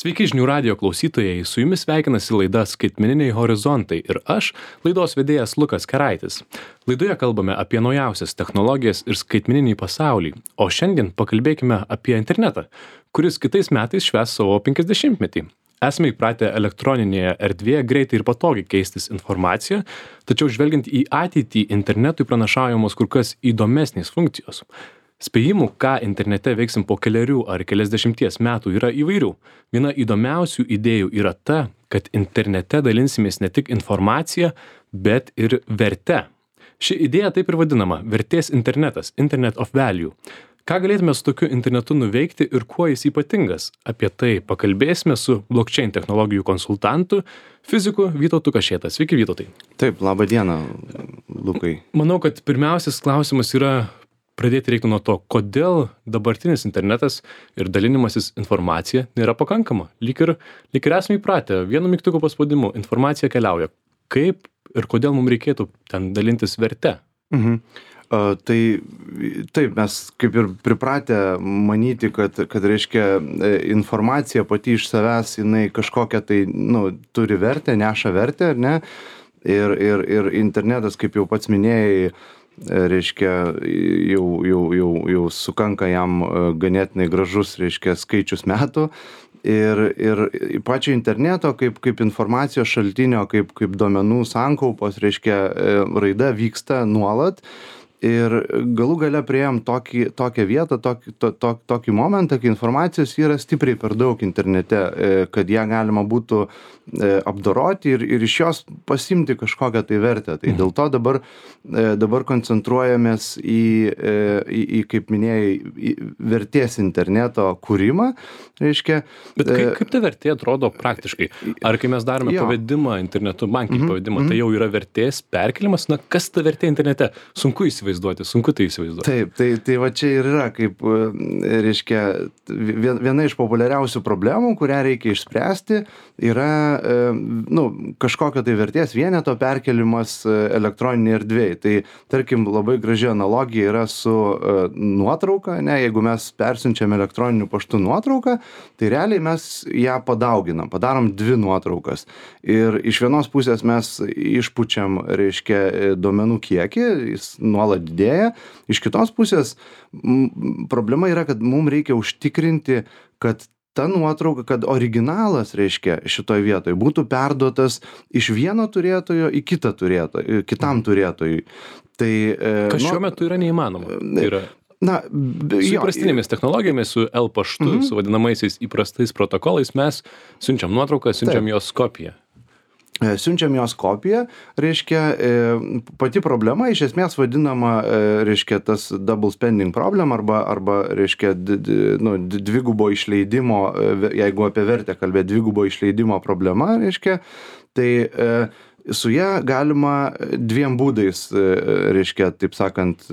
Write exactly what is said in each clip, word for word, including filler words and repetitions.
Sveiki žinių radijo klausytojai, su jumis sveikinasi laida Skaitmeniniai horizontai ir aš, laidos vedėjas Lukas Keraitis. Laidoje kalbame apie naujausias technologijas ir skaitmeninį pasaulį, o šiandien pakalbėkime apie internetą, kuris kitais metais švęs savo penkiasdešimtmetį. Esame įpratę elektroninėje erdvėje greitai ir patogiai keistis informaciją, tačiau žvelgiant į ateitį internetui pranašaujamos kur kas įdomesnės funkcijos. Spėjimų, ką internete veiksim po keliarių ar keliasdešimties metų, yra įvairių. Viena įdomiausių idėjų yra ta, kad internete dalinsimės ne tik informacija, bet ir verte. Ši idėja taip ir vadinama – vertės internetas, Internet of Value. Ką galėtume su tokiu internetu nuveikti ir kuo jis ypatingas? Apie tai pakalbėsime su blockchain technologijų konsultantu, fiziku Vytautu Kašėta. Sveiki, Vytautai. Taip, laba diena, Lukai. Manau, kad pirmiausias klausimas yra pradėti reiktų nuo to, kodėl dabartinis internetas ir dalinimasis informacija nėra pakankama. Lyg ir, lyg ir esame įpratę, vienu mygtuko paspaudimu informacija keliauja. Kaip ir kodėl mums reikėtų ten dalintis verte? Mhm. Uh, tai taip, mes kaip ir pripratę manyti, kad, kad reiškia informacija pati iš savęs, jinai kažkokią tai, nu, turi vertę, neša vertę, ar ne? Ir, ir, ir internetas, kaip jau pats minėjai, reiškia, jau, jau, jau, jau sukanka jam ganėtinai gražus, reiškia, skaičius metų. Ir, ir pačio interneto kaip, kaip informacijos šaltinio, kaip, kaip duomenų sankaupos, reiškia, raida vyksta nuolat. Ir galų gale priėjom tokį, tokią vietą, tokį, to, to, tokį momentą, kai informacijos yra stipriai per daug internete, kad ją galima būtų apdoroti ir, ir iš jos pasimti kažkokią tai vertę. Tai dėl to dabar, dabar koncentruojamės į, į, į kaip minėjai, į vertės interneto kūrimą. Reiškia, Bet kaip, kaip ta vertė atrodo praktiškai? Ar kai mes darome jo. pavedimą internetu, bankinį mm-hmm. pavedimą, tai jau yra vertės perkelimas? Na, kas ta vertė internete? Sunku įsivaizduoti, sunku tai įsivaizduoti. Taip, tai, tai va čia ir yra, kaip, reiškia, viena iš populiariausių problemų, kurią reikia išspręsti, yra, nu, kažkokio tai vertės vieneto perkelimas elektroninėje erdvėje. Tai, tarkim, labai graži analogija yra su nuotrauka, ne, jeigu mes persiunčiam elektroniniu paštu nuotrauką, tai realiai mes ją padauginam, padarom dvi nuotraukas. Ir iš vienos pusės mes išpučiam, reiškia, duomenų kiekį, jis nuolat didėja. Iš kitos pusės m, problema yra, kad mums reikia užtikrinti, kad ta nuotrauka, kad originalas, reiškia, šitoj vietoje būtų perduotas iš vieno turėtojo į kitą turėtoją, kitam turėtojui. Tai, Kas šiuo metu yra neįmanoma. Tai yra Na, su įprastinėmis technologijomis, su L paštu, mm-hmm. su vadinamaisiais įprastais protokolais, mes siunčiam nuotrauką, siunčiam Taip. jos kopiją. Siunčiam jos kopiją, reiškia, pati problema iš esmės vadinama, reiškia, tas double spending problem arba, arba reiškia, nu, dvigubo išleidimo, jeigu apie vertę kalbėt, dvigubo išleidimo problema, reiškia, tai su ją galima dviem būdais, reiškia, taip sakant,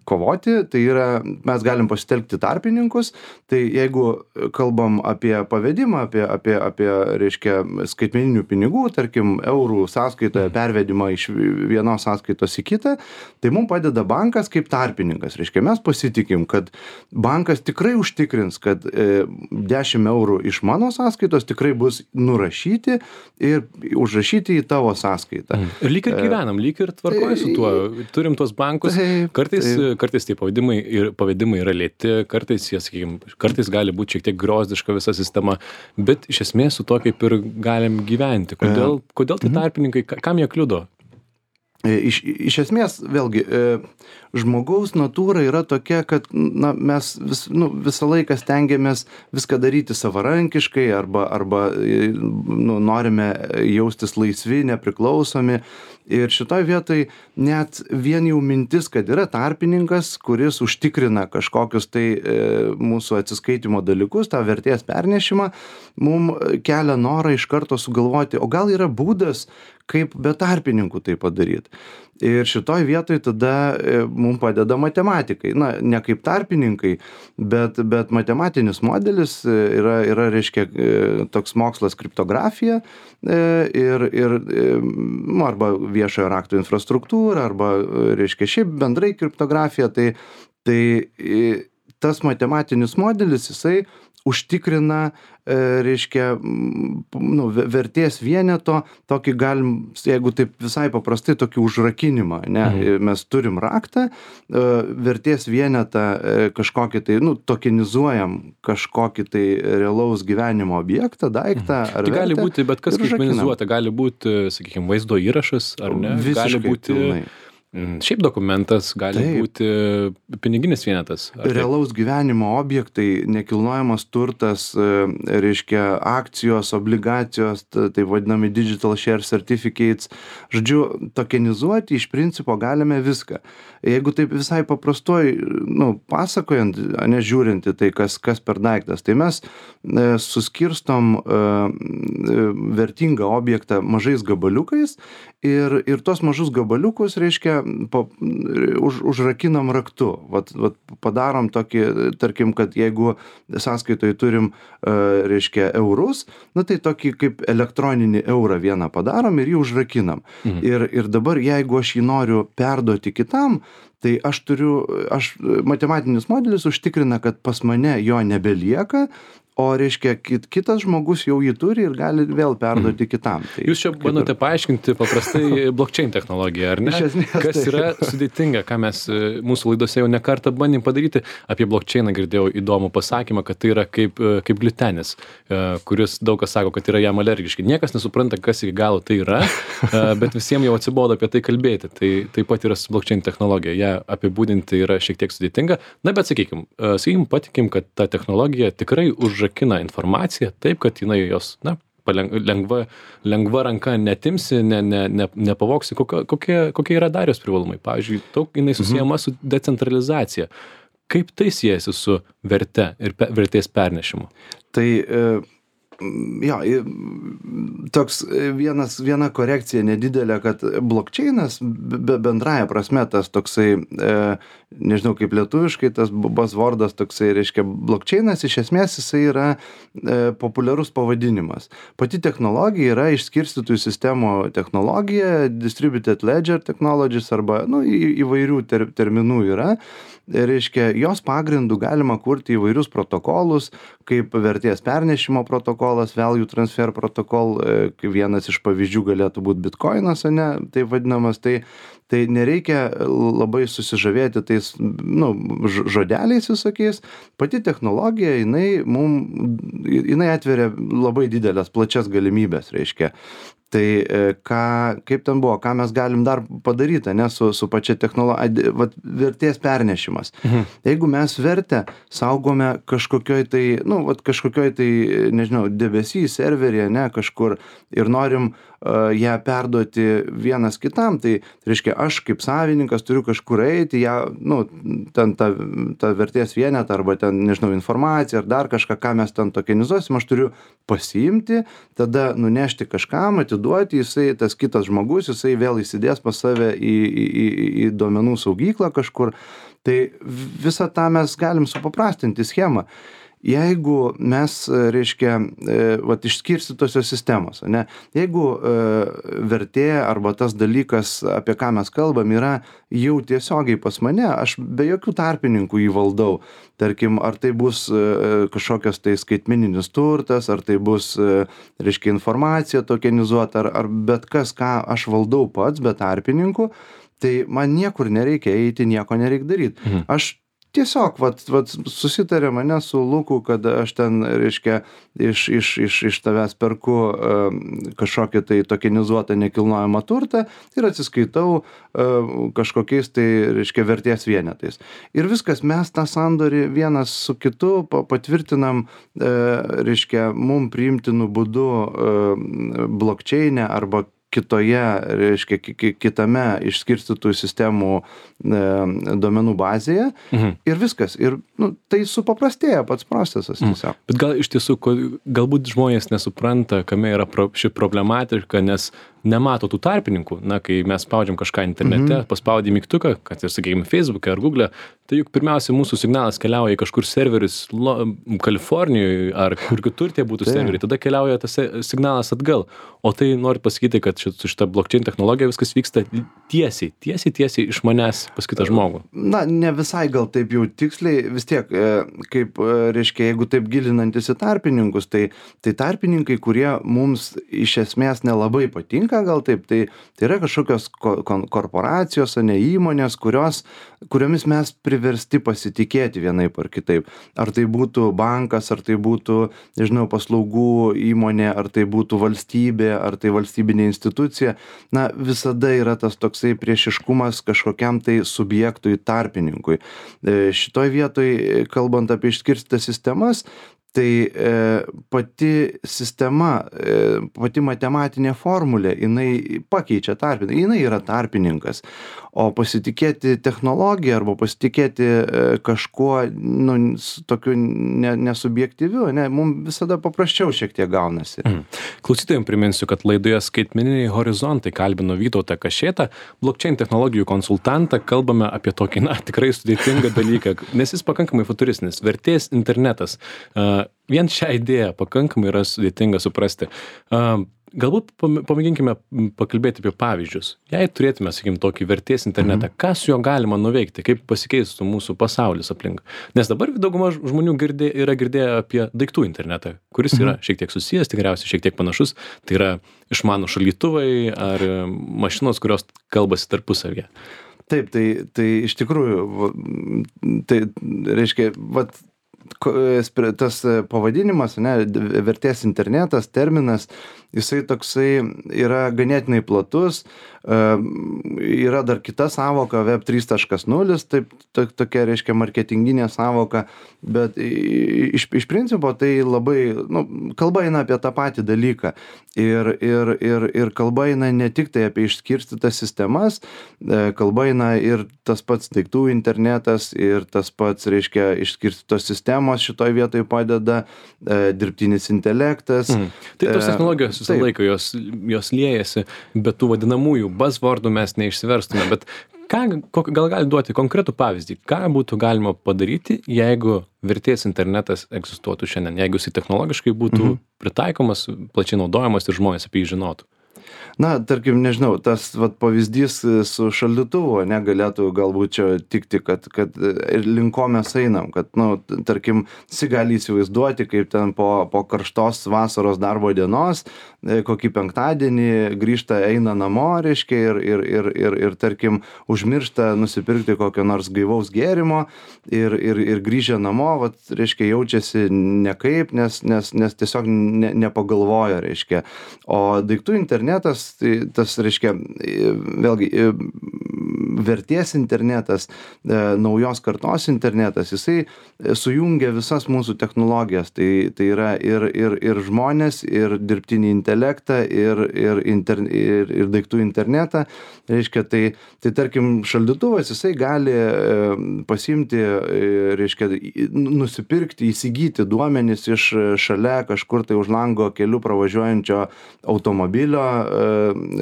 kovoti, tai yra, mes galim pasitelkti tarpininkus, tai jeigu kalbam apie pavedimą, apie, apie, apie, reiškia, skaitmeninių pinigų, tarkim, eurų sąskaitoje pervedimą iš vienos sąskaitos į kitą, tai mums padeda bankas kaip tarpininkas. Reiškia, mes pasitikim, kad bankas tikrai užtikrins, kad e, dešimt eurų iš mano sąskaitos tikrai bus nurašyti ir užrašyti į tavo sąskaitą. Ir lyg ir gyvenam, lyg ir tvarkoja su tuo. Turim tuos bankus, kartais kartais tie pavedimai, ir, pavedimai yra lėti, kartais, jie, sakykim, kartais gali būti šiek tiek griozdiška visa sistema, bet iš esmės su to kaip ir galim gyventi. Kodėl, kodėl tie tarpininkai, kam jie kliudo? Iš, iš esmės, vėlgi, žmogaus natūra yra tokia, kad na, mes vis, nu, visą laiką stengiamės viską daryti savarankiškai arba, arba nu, norime jaustis laisvi, nepriklausomi. Ir šitoj vietoj net vien jau mintis, kad yra tarpininkas, kuris užtikrina kažkokius tai e, mūsų atsiskaitimo dalykus, tą vertės pernešimą, mums kelia norą iš karto sugalvoti, o gal yra būdas, kaip be tarpininkų tai padaryti. Ir šitoj vietoj tada e, mums padeda matematikai. Na, ne kaip tarpininkai, bet, bet matematinis modelis yra, yra reiškia, e, toks mokslas kriptografija e, ir, ir e, arba viešojo rakto infrastruktūra, arba, reiškia, šiaip bendrai kriptografija, tai, tai tas matematinis modelis, jisai užtikrina, e, reiškia, nu, vertės vieneto, tokį galim, jeigu taip visai paprastai, tokį užrakinimą, ne, mhm. mes turim raktą, e, vertės vienetą e, kažkokį tai, nu, tokenizuojam kažkokį tai realaus gyvenimo objektą, daiktą mhm. ar tai gali vertę, būti bet kas skaitmenizuota, gali būti, sakykime, vaizdo įrašas, ar ne? Visiškai gali būti pilnai. Šiaip dokumentas, gali Taip. būti piniginis vienetas. Realaus gyvenimo objektai, nekilnojamas turtas, reiškia akcijos, obligacijos, tai vadinami digital share certificates. Žodžiu, tokenizuoti iš principo galime viską. Jeigu taip visai paprastoj, nu, pasakojant, nežiūrinti tai, kas, kas per daiktas, tai mes e, suskirstom e, vertingą objektą mažais gabaliukais ir, ir tos mažus gabaliukus, reiškia, pa, už, užrakinam raktu. Vat, vat padarom tokį, tarkim, kad jeigu sąskaitoj turim, e, reiškia, eurus, na tai tokį kaip elektroninį eurą vieną padarom ir jį užrakinam. Mhm. Ir, ir dabar, jeigu aš jį noriu perduoti kitam, tai aš turiu, aš, matematinis modelis užtikrina, kad pas mane jo nebelieka, o reiškia, kit, kitas žmogus jau jį turi ir gali vėl perduoti kitam. Tai, Jūs čia bandote ir... paaiškinti paprastai blockchain technologiją, ar ne? Iš esmės, kas tai. yra sudėtinga, ką mes mūsų laidose jau ne kartą bandėm padaryti. Apie blockchainą girdėjau įdomų pasakymą, kad tai yra kaip, kaip gliutenis, kuris daug kas sako, kad yra jam alergiški. Niekas nesupranta, kas iki galo tai yra, bet visiems jau atsibodo apie tai kalbėti. Tai taip pat yra su blockchain technologija. Ja apibūdinti yra šiek tiek sudėtinga. Na, bet sakykim, sakykim, patikim, kad ta technologija tikrai už rakina informaciją taip, kad jinai jos, na, lengva, lengva ranka netimsi, ne, ne, ne, nepavoksi. Kokie, kokie, kokie yra dar jos privalumai? Pavyzdžiui, daug jinai susijama su decentralizacija. Kaip tai siejasi su verte ir pe, vertės pernešimu? Tai e... Jo, toks vienas, viena korekcija nedidelė, kad blockchainas be, bendraja prasme tas toksai, e, nežinau kaip lietuviškai, tas buzzwordas toksai, reiškia, blockchainas iš esmės jisai yra e, populiarus pavadinimas. Pati technologija yra išskirstytų sistemų technologija, distributed ledger technologies arba, nu, į, įvairių ter, terminų yra. Reiškia, jos pagrindų galima kurti įvairius protokolus, kaip vertės pernešimo protokolas, value transfer protokol, kaip vienas iš pavyzdžių galėtų būti bitcoinas, ne, tai vadinamas, tai, tai nereikia labai susižavėti tais, nu, žodeliais visokiais. Pati technologija, jinai, mum, jinai atveria labai didelės, plačias galimybės, reiškia. Tai ką, kaip ten buvo, ką mes galim dar padaryti, ne, su, su pačia technologija, vertės pernešimas. Mhm. Jeigu mes vertę saugome kažkokioj tai, nu, vat kažkokioj tai, nežinau, debesy, serveryje, ne, kažkur ir norim uh, ją perduoti vienas kitam, tai, tai reiškia, aš kaip savininkas turiu kažkur eiti, ją, nu, ten tą, tą vertės vienetą arba ten, nežinau, informaciją ar dar kažką, ką mes ten tokenizuosim, aš turiu pasiimti, tada nunešti kažkam, atiduoti, jisai, tas kitas žmogus, jisai vėl įsidės pas save į, į, į, į duomenų saugyklą kažkur. Tai visą tą mes galim supaprastinti schemą. Jeigu mes, reiškia, vat išskirstytosios sistemos, ne, jeigu e, vertė arba tas dalykas, apie ką mes kalbam, yra jau tiesiogiai pas mane, aš be jokių tarpininkų jį valdau. Tarkim, ar tai bus e, kažkokios tai skaitmeninis turtas, ar tai bus, e, reiškia, informacija tokenizuota, ar, ar bet kas, ką aš valdau pats be tarpininkų, tai man niekur nereikia eiti, nieko nereikia daryti. Mhm. Aš tiesiog, vat, vat, susitarė mane su Luku, kad aš ten, reiškia, iš, iš, iš, iš tavęs perku uh, kažkokį tai tokenizuotą nekilnojamą turtą ir atsiskaitau uh, kažkokiais tai, reiškia, vertės vienetais. Ir viskas, mes tą sandorį vienas su kitu patvirtinam, uh, reiškia, mum priimtinu būdu uh, blockchain'e arba kitoje, reiškia, kitame išskirstytų sistemų e, duomenų bazėje. Mhm. Ir viskas. Ir nu, tai supaprastėja pats procesas tiesiog. Mhm. Bet gal iš tiesų, galbūt žmonės nesupranta, kame yra pro, ši problematika, nes nemato tų tarpininkų, na, kai mes spaudžiam kažką internete, mhm. paspaudį mygtuką, kad ir, sakykime, Facebook'e ar Google'e, tai juk pirmiausia mūsų signalas keliauja į kažkur serverius Lo, Kalifornijoje ar kur kitur tie būtų serveriai, tada keliauja tas signalas atgal. O tai noriu pasakyti, kad su šita blockchain technologija viskas vyksta tiesiai, tiesiai, tiesiai iš manęs pas kitą žmogų. Na, ne visai gal taip jau tiksliai, vis tiek, kaip, reiškia, jeigu taip gilinantis į tarpininkus, tai, tai tarpininkai, kurie mums iš esmės nelabai patinka, gal taip, tai, tai yra kažkokios korporacijos, ne įmonės, kurios, kuriomis mes priversti pasitikėti vienaip ar kitaip. Ar tai būtų bankas, ar tai būtų, nežinau, paslaugų įmonė, ar tai būtų valstybė, ar tai valstybinė institucija. Na, visada yra tas toksai priešiškumas kažkokiam tai subjektui, tarpininkui. Šitoj vietoj, kalbant apie išskirstytas sistemas, tai e, pati sistema, e, pati matematinė formulė, jinai pakeičia tarpininką, jinai yra tarpininkas. O pasitikėti technologiją arba pasitikėti e, kažkuo, nu, tokiu ne, nesubjektyviu, ne, mums visada paprasčiau šiek tiek gaunasi. Mm. Klausytojams priminsiu, kad laidoje Skaitmeniniai horizontai kalbino Vytautą Kašėtą, blockchain technologijų konsultantą, kalbame apie tokį, na, tikrai sudėtingą dalyką, nes jis pakankamai futuristinis, vertės internetas. Uh, Vien šią idėją pakankamai yra sudėtinga suprasti. Uh, galbūt pamėginkime pakalbėti apie pavyzdžius. Jei turėtume, sakykim, tokį vertės internetą, mhm. ką su juo galima nuveikti, kaip pasikeistų mūsų pasaulis aplink. Nes dabar dauguma žmonių girdė, yra girdėję apie daiktų internetą, kuris yra šiek tiek susijęs, tikriausiai šiek tiek panašus. Tai yra išmanų šaldytuvai ar mašinos, kurios kalbasi tarpusavyje. Taip, tai, tai iš tikrųjų, tai reiškia, vat, tas pavadinimas, ne, vertės internetas, terminas, jisai toksai yra ganėtinai platus, yra dar kita sąvoka web trys taškas nulis, taip, to, tokia, reiškia, marketinginė sąvoka, bet iš, iš principo tai labai, nu, kalba eina apie tą patį dalyką ir, ir, ir, ir kalba eina ne tik tai apie išskirstytas sistemas, kalba eina ir tas pats daiktų internetas ir tas pats, reiškia, išskirstytos sistemos šitoj vietoj padeda, dirbtinis intelektas. Mm. Tai tos technologijos visą laiką, jos, jos liejasi, bet tų vadinamųjų buzzwordų mes neišsiverstume, bet ką, gal gali duoti konkretų pavyzdį, ką būtų galima padaryti, jeigu vertės internetas egzistuotų šiandien, jeigu jis technologiškai būtų mhm. pritaikomas, plačiai naudojamas ir žmonės apie jį žinotų? Na, tarkim, nežinau, tas vat, pavyzdys su šaldytuvu negalėtų galbūt čia tikti, kad, kad ir link ko mes einam, kad, nu, tarkim, visi gali įsivaizduoti, kaip ten po, po karštos vasaros darbo dienos, kokį penktadienį grįžta, eina namo, reiškia, ir, ir, ir, ir, ir tarkim, užmiršta nusipirkti kokio nors gaivaus gėrimo ir, ir, ir grįžę namo, vat, reiškia, jaučiasi nekaip, nes, nes, nes tiesiog ne, nepagalvoja, reiškia. O daiktų internetas, tai tas, reiškia, vėlgi, vertės internetas, naujos kartos internetas, jisai sujungia visas mūsų technologijas, tai, tai yra ir, ir, ir žmonės, ir dirbtinį intelektą, ir, ir, inter, ir, ir daiktų internetą, reiškia, tai, tai tarkim, šaldytuvas, jisai gali pasiimti, reiškia, nusipirkti, įsigyti duomenis iš šalia kažkur tai už lango keliu pravažiuojančio automobilio,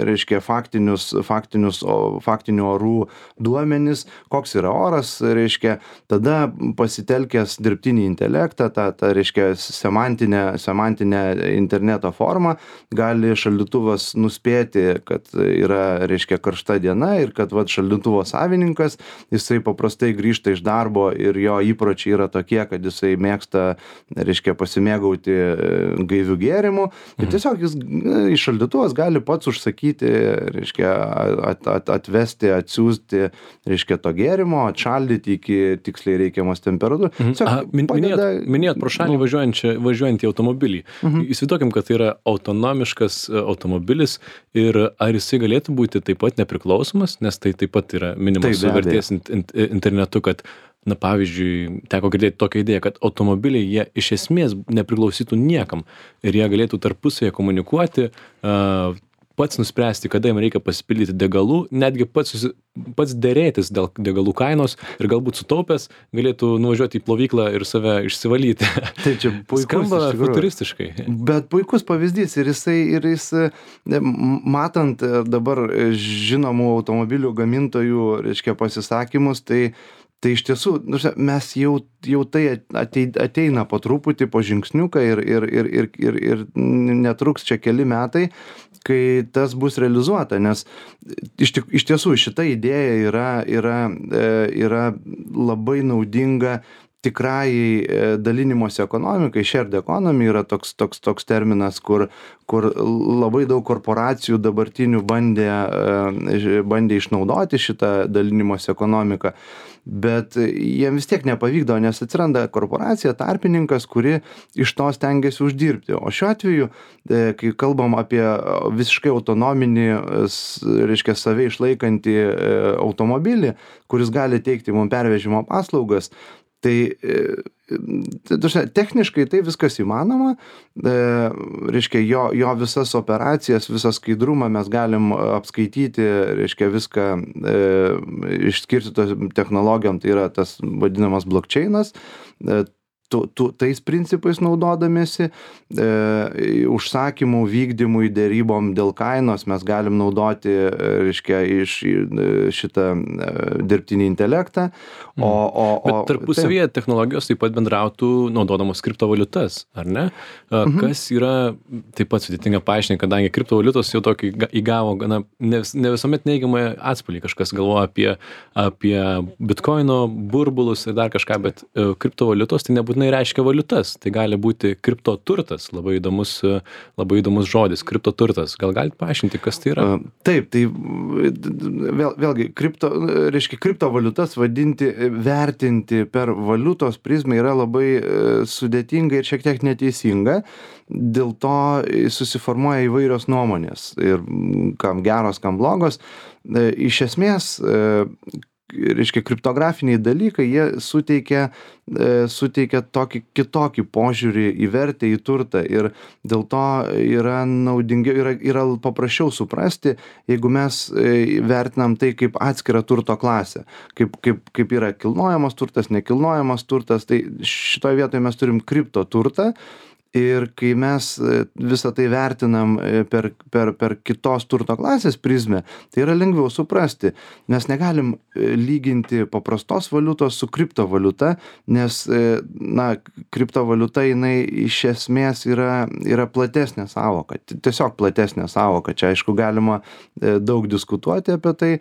reiškia, faktinius, faktinius, faktinių orų duomenis, koks yra oras, reiškia, tada pasitelkęs dirbtinį intelektą, tą, tą reiškia, semantinę, semantinę interneto formą, gali šaldytuvas nuspėti, kad yra, reiškia, karšta diena ir kad, vat, šaldytuvo savininkas, jisai paprastai grįžta iš darbo ir jo įpročiai yra tokie, kad jisai mėgsta, reiškia, pasimėgauti gaivių gėrimų ir tiesiog jis iš šaldytuvas gali pats užsakyti, reiškia, at, at, atvesti, atsiųsti, reiškia, to gėrimo, atšaldyti iki tiksliai reikiamos temperatūros. Mhm. A, min, padeda, minėjot, minėjot pro šalį nu, važiuojantį automobilį. Mhm. Įsivaizduokim, kad tai yra autonomiškas automobilis ir ar jisai galėtų būti taip pat nepriklausomas, nes tai taip pat yra minimas su vertės internetu, kad, na, pavyzdžiui, teko girdėti tokią idėją, kad automobiliai jie iš esmės nepriklausytų niekam ir jie galėtų tarpusavėje komunikuoti, uh, pats nuspręsti, kada jam reikia pasipildyti degalų, netgi pats, susi, pats dėrėtis dėl degalų kainos ir galbūt sutaupęs galėtų nuvažiuoti į plovyklą ir save išsivalyti. Tai čia puikus, skamba iš tikrųjų. futuristiškai. Bet puikus pavyzdys ir jisai, ir jis, matant dabar žinomų automobilių gamintojų, reiškia, pasisakymus, tai Tai iš tiesų, mes jau, jau tai ateina po truputį, po žingsniuką ir, ir, ir, ir, ir, ir netruks čia keli metai, kai tas bus realizuota, nes iš, iš tiesų šita idėja yra, yra, yra labai naudinga tikrajai dalinimosi ekonomikai. Shared economy yra toks, toks, toks terminas, kur, kur labai daug korporacijų dabartinių bandė, bandė išnaudoti šitą dalinimosi ekonomiką. Bet jiem vis tiek nepavykdo, nes atsiranda korporacija, tarpininkas, kuri iš to stengiasi uždirbti. O šiuo atveju, kai kalbam apie visiškai autonominį, reiškia, save išlaikantį automobilį, kuris gali teikti mums pervežimo paslaugas, tai techniškai tai viskas įmanoma, reiškia, jo, jo visas operacijas, visą skaidrumą mes galim apskaityti, reiškia, viską išskirstytos technologijom, tai yra tas vadinamas blockchainas, tu, tu, tais principais naudodamėsi, e, užsakymų vykdymui, dėrybom dėl kainos mes galim naudoti, reiškia, iš šitą dirbtinį intelektą. O, o, o, Bet tarpusavyje technologijos taip pat bendrautų naudodamos kriptovaliutas, ar ne? Mhm. Kas yra taip pat sudėtinga paaiškinti, kadangi kriptovaliutos jau tokį įgavo gana ne, ne visuomet neigiamą atspalvį. Kažkas galvoja apie, apie bitkoino burbulus ir dar kažką, bet kriptovaliutos tai nebūtinai reiškia valiutas. Tai gali būti kriptoturtas, labai įdomus, labai įdomus žodis, kriptoturtas. Gal galite paaiškinti, kas tai yra? Taip, tai vėl, vėlgi, kripto, reiškia, kriptovaliutas vadinti, vertinti per valiutos prizmę yra labai sudėtinga ir šiek tiek neteisinga. Dėl to susiformuoja įvairios nuomonės ir kam geros, kam blogos. Iš esmės, reiškia, kriptografiniai dalykai, jie suteikia, suteikia tokį kitokį požiūrį į vertę, į turtą ir dėl to yra naudingiau, yra, yra paprasčiau suprasti, jeigu mes vertinam tai kaip atskirą turto klasę, kaip, kaip, kaip yra kilnojamas turtas, nekilnojamas turtas, tai šitoje vietoje mes turim kriptoturtą. Ir kai mes visą tai vertinam per, per, per kitos turto klasės prizmę, tai yra lengviau suprasti. Mes negalim lyginti paprastos valiutos su kriptovaliuta, nes, na, kriptovaliuta jinai iš esmės yra, yra platesnė sąvoka, tiesiog platesnė sąvoka. Čia, aišku, galima daug diskutuoti apie tai.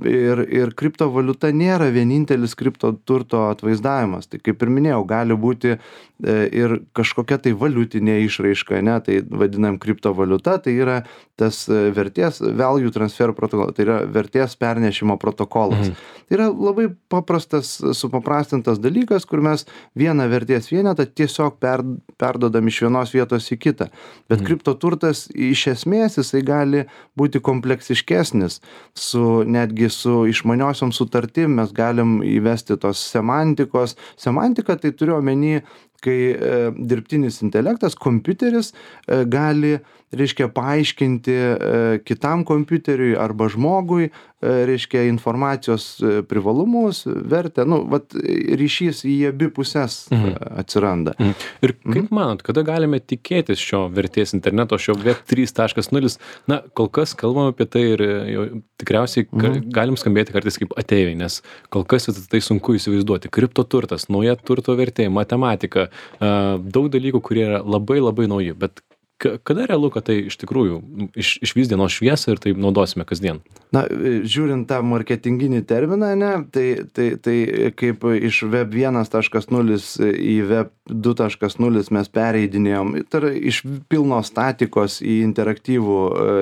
Ir, ir kriptovaliuta nėra vienintelis kriptoturto atvaizdavimas. Tai kaip ir minėjau, gali būti ir kažkokia tai valiutinė išraiška, ne, tai vadinam kriptovaliuta, tai yra tas vertės value transfer protokolas, tai yra vertės pernešimo protokolas. Mhm. Tai yra labai paprastas, supaprastintas dalykas, kur mes vieną vertės vienetą tiesiog per, perdodam iš vienos vietos į kitą. Bet mhm. kriptoturtas iš esmės jisai gali būti kompleksiškesnis, su, netgi su išmaniosiom sutartim mes galim įvesti tos semantikos. Semantika tai turiu omeny, kai e, dirbtinis intelektas, kompiuteris e, gali, reiškia, paaiškinti e, kitam kompiuteriui arba žmogui, e, reiškia, informacijos privalumus, vertę, nu, vat, ryšys į abi pusės mhm. atsiranda. Mhm. Ir kaip mhm. manot, kada galime tikėtis šio vertės interneto, šio web trys taškas nulis? Na, kol kas kalbam apie tai ir jau tikriausiai mhm. galim skambėti kartais kaip ateiviai, nes kol kas tai sunku įsivaizduoti. Kriptoturtas, nauja turto vertė, matematika, daug dalykų, kurie yra labai labai nauji, bet kada realu, kad tai iš tikrųjų iš, išvys dienos šviesą ir tai naudosime kasdien? Na, žiūrint tą marketinginį terminą, ne, tai, tai, tai kaip iš web vienas taškas nulis į web du taškas nulis mes pereidinėjom, tai yra iš pilnos statikos į interaktyvų,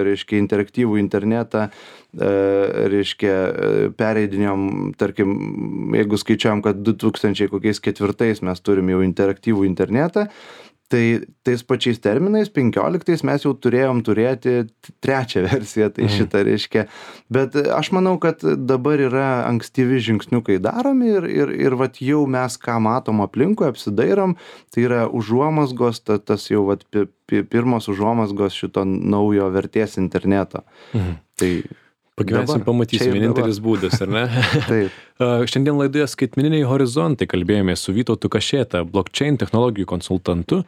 reiškia, interaktyvų internetą, reiškia, pereidinėjom, tarkim, jeigu skaičiuojam, kad du tūkstančiai ketvirtais mes turim jau interaktyvų internetą, tai tais pačiais terminais penkioliktais mes jau turėjom turėti trečią versiją, tai Mhm. šitą reiškia. Bet aš manau, kad dabar yra ankstyvi žingsniukai daromi ir, ir, ir vat jau mes ką matom aplinkui, apsidairom, tai yra užuomasgos, ta, tas jau vat pi, pi, pirmos užuomasgos šito naujo vertės interneto. Mhm. Tai Pagyvensim, dabar, čia pamatysim, ir vienintelis dabar. būdas, ar ne? Taip. A, Šiandien laidoje skaitmeniniai horizontai kalbėjome su Vytautu Kašėta, blockchain technologijų konsultantu.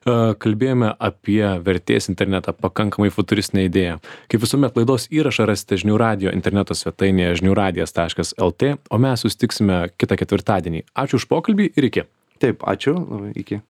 A, Kalbėjome apie vertės internetą, pakankamai futuristinę idėją. Kaip visuomet laidos įrašą rasite žinių radio interneto svetainėje žinių radijas taškas lt, o mes susitiksime kitą ketvirtadienį. Ačiū už pokalbį ir iki. Taip, ačiū, labai iki.